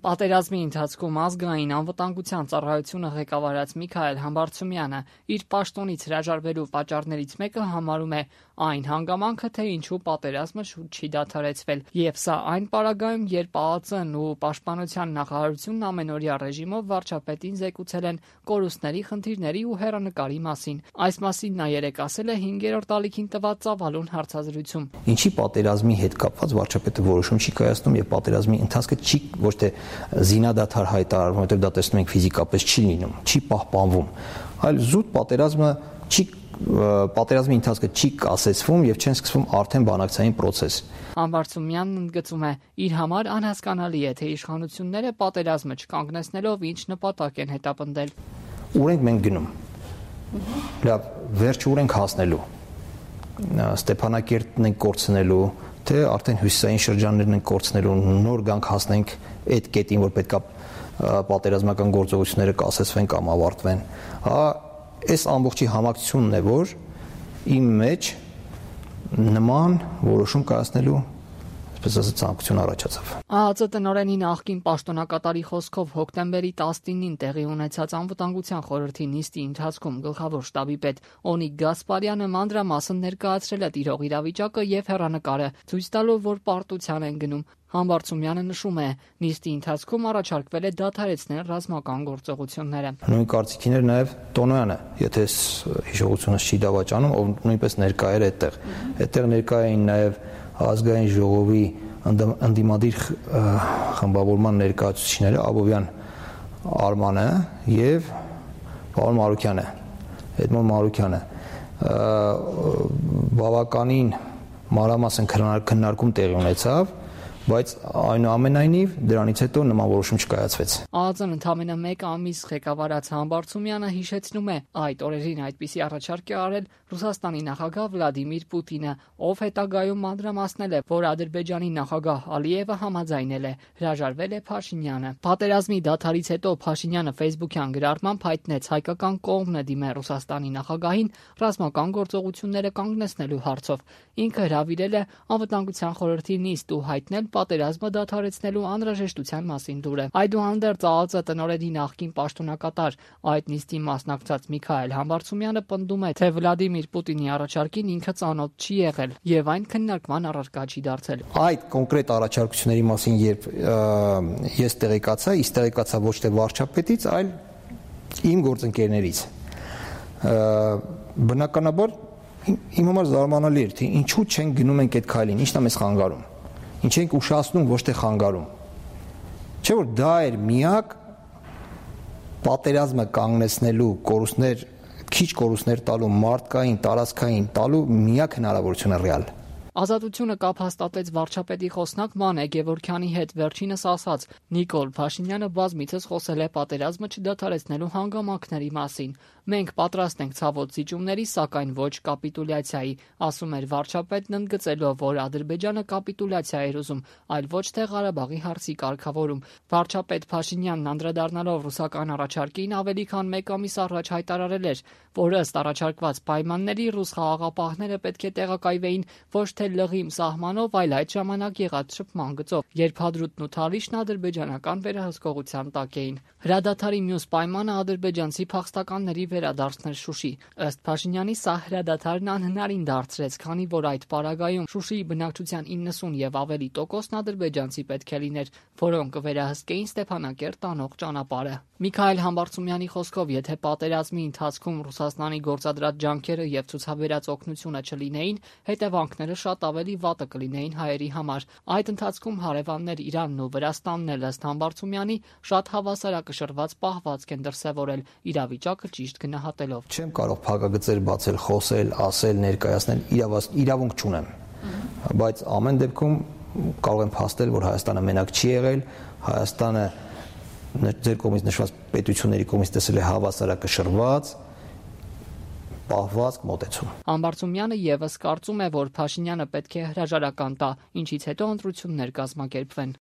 Պատերազմի ընթացքում ազգային անվտանգության ծառայությունը ղեկավարած Միքայել Համբարձումյանը իր պաշտոնից հրաժարվելու պատճառներից մեկը համարում է այն հանգամանքը, թե ինչու պատերազմը շուտ չի դադարեցվել, եւ սա այն պարագայում, երբ ԱԱԾ-ն ու Պաշտպանության նախարարությունն ամենօրյա ռեժիմով վարչապետին զեկուցել են կորուստների, խնդիրների ու հեռանկարի մասին։ Այս մասին նա երեկ ասել է 5-րդ ալիքին տված ծավալուն հարցազրույցում։ Ինչի պատերազմի հետ կապված վարչապետը որոշում չի կայացնում եւ պատերազմի ընթացքը չի ոչ թե զինադադար հայտարարվում, որտեղ դա տեսնում ենք ֆիզիկապես չի լինում, չի պահպանվում, այլ զուտ պատերազմի ընթացքը չի կասեցվում եւ չեն սկսվում արդեն բանակցային process։ Համբարձումյանն ընդգծում է, իր համար անհասկանալի է, թե իշխանությունները պատերազմը չկանգնեցնելով ինչ նպատակ են հետապնդել։ Ուր ենք մենք գնում։ Լավ, վերջը ուր ենք հասնելու։ Ստեփանակերտն ենք կորցնելու, թե արդեն հյուսիսային շրջաններն ենք կորցնելու, նոր գանք հասնենք այդ կետին, որ պետքա պատերազմական գործողությունները կասեցվեն կամ ավարտվեն։ Այս ամբողջի համակցությունն է, որ իմ մեջ նման որոշում կայացնելու այսպես ասած ցանկություն առաջացավ։ ԱԱԾ տնօրենի նախկին պաշտոնակատարի խոսքով հոկտեմբերի 19-ին տեղի ունեցած անվտանգության խորհրդի նիստի ընթացքում գլխավոր շտաբի պետ Օնիկ Գասպարյանը մանրամասն ներկայացրել է տիրող իրավիճակը եւ հեռանկարը, ցույց տալով, որ պարտության են գնում։ Համբարձումյանը նշում է, նիստի ընթացքում առաջարկվել է դադարեցնել ռազմական գործողությունները։ Նույն կարծիքին էր նաև Տոնոյանը, եթե հիշողությունս չի դավաճանում, ով նույնպես ներկա էր այդտեղ։ Այդտեղ ներկա էին նաև ազգային ժողովի ընդդիմադիր խմբավորման ներկայացուցիչները Աբովյան Արմանը եւ պարոն Մարուկյանը, Էդմոն Մարուկյանը։ Բավականին մանրամասն քննարկում տեղի ունեցավ, բայց այնուամենայնիվ դրանից հետո նման որոշում չկայացվեց։ ԱԱԾ-ն ընդամենը 1 ամիս ղեկավարած Համբարձումյանը հիշեցնում է, այդ օրերին այդպիսի առաջարկ է արել Ռուսաստանի նախագահ Վլադիմիր Պուտինը, ով հետագայում մանրամասնել է, որ Ադրբեջանի նախագահ Ալիևը համաձայնել է, հրաժարվել է Փաշինյանը։ Պատերազմի դադարից հետո Փաշինյանը Facebook-յան գրառմամբ հայտնեց հայկական կողմն է դիմել Ռուսաստանի նախագահին ռազմական գործողությունները կանգնեցնելու հարցով։ Ինքը հրավիրել է Անվտանգության խորհրդի նիստ ու հայտնել պատերազմը դադարեցնելու անհրաժեշտության մասին դուրը։ Այդուհանդերձ ԱԱԾ տնօրենի նախկին պաշտոնակատար այդ նիստին մասնակցած Միքայել Համբարձումյանը պնդում է, թե Վլադիմիր Պուտինի առաջարկին ինքը ծանոթ չի եղել եւ այն քննարկման առարկա չի դարձել։ Այդ կոնկրետ առաջարկությունների մասին երբ ես տեղեկացա ոչ թե վարչապետից, այլ իմ գործընկերներից։ Բնականաբար իմ համար զարմանալի էր, թե ինչու չեն գնում ենք այդ քայլին, ինչն է մեզ խանգարում։ Ինչ ենք ուշացնում, ոչ թե խանգարում։ Չէ՞ որ դա էր միակ պատերազմը կանգնեցնելու քիչ կորուստներ տալու մարդկային, տարածքային տալու միակ հնարավորությունը ռեալ։ Ազատությունը կապ հաստատեց վարչապետի խոսնակ Մանե Գևորգյանի հետ, վերջինս ասաց. Նիկոլ Փաշինյանը բազմիցս խոսել է պատերազմը չդադարեցնելու հանգամանքների մասին։ Մենք պատրաստ ենք ցավոտ զիջումների, սակայն ոչ կապիտուլյացիայի, ասում էր վարչապետն, ընդգծելով, որ Ադրբեջանը կապիտուլյացիա էր ուզում, այլ ոչ թե Ղարաբաղի հարցի կարգավորում։ Վարչապետ Փաշինյանն անդրադառնալով ռուսական առաջարկին ավելի քան 1 ամիս առաջ հայտարարել էր, որ ըստ առաջարկված պայմանների ռուս խաղաղապահները պետք է տեղակայվեին ոչ թե լղիմ սահմանով, այլ այդ ժամանակ եղած շփման գծով, երբ Հադրութն ու Թալիշն ադրբեջանական վերահսկողության տակ էին։ Հրադադարի մյուս պայմանը ադրբեջանցի փախստականների վերադարձնել Շուշի։ Ըստ Փաշինյանի սա հրադադարն անհնարին դարձրեց, քանի որ այդ պարագայում Շուշիի բնակչության 90 եւ ավելի տոկոսն ադրբեջանցի պետք է լիներ, որոնք կվերահսկեին Ստեփանակերտ տանող ճանապարհը։ Միքայել Համբարձումյանի խոսքով, եթե պատերազմի ընթացքում Ռուսաստանի գործադրած ջանքերը եւ ցուցաբերած օգնությունը չլինեին, հետևանքները շատ ավելի վատը կլինեին հայերի համար։ Այդ ընթացքում հարևաններ Իրանն ու Վրաստանն էլ ըստ Համբարձումյանի շատ հավասարակշռված պահվածք են դրսևորել, իրավիճակը ճիշտ գնահատելով։ Չեմ կարող փակագծեր բացել, խոսել, ասել, ներկայացնել, իրավունք չունեմ։ Բայց ամեն դեպքում կարող եմ փաստել, որ Հայաստանը մենակ չի եղել, Հայաստանը ձեր կողմից նշված պետությունների կողմից տեսել է հավասարակշռված պահվածք մոտեցում։ Համբարձումյանը եւս կարծում է, որ Փաշինյանը պետք է հրաժարական տա, ինչից հետո ընտրություններ կազմակերպվեն։